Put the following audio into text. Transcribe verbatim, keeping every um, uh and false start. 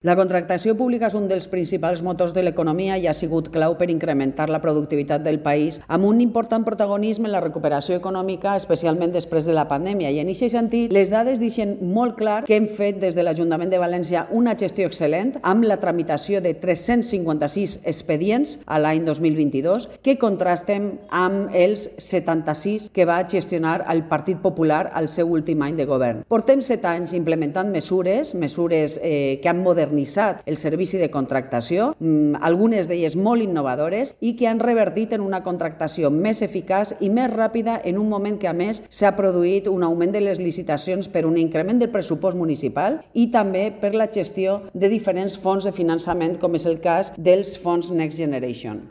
La contractació pública és un dels principals motors de l'economia i ha sigut clau per incrementar la productivitat del país amb un important protagonisme en la recuperació econòmica, especialment després de la pandèmia. I en aquest sentit, les dades deixen molt clar que hem fet des de l'Ajuntament de València una gestió excel·lent amb la tramitació de tres-cents cinquanta-sis expedients a l'any dos mil vint-i-dos que contrastem amb els setanta-sis que va gestionar el Partit Popular al seu últim any de govern. Portem set anys implementant mesures, mesures eh, que han modernitzat el servici de contractació, algunes d'elles molt innovadores i que han revertit en una contractació més eficaç i més ràpida en un moment que a més s'ha produït un augment de les licitacions per un increment del pressupost municipal i també per la gestió de diferents fons de finançament com és el cas dels fons Next Generation.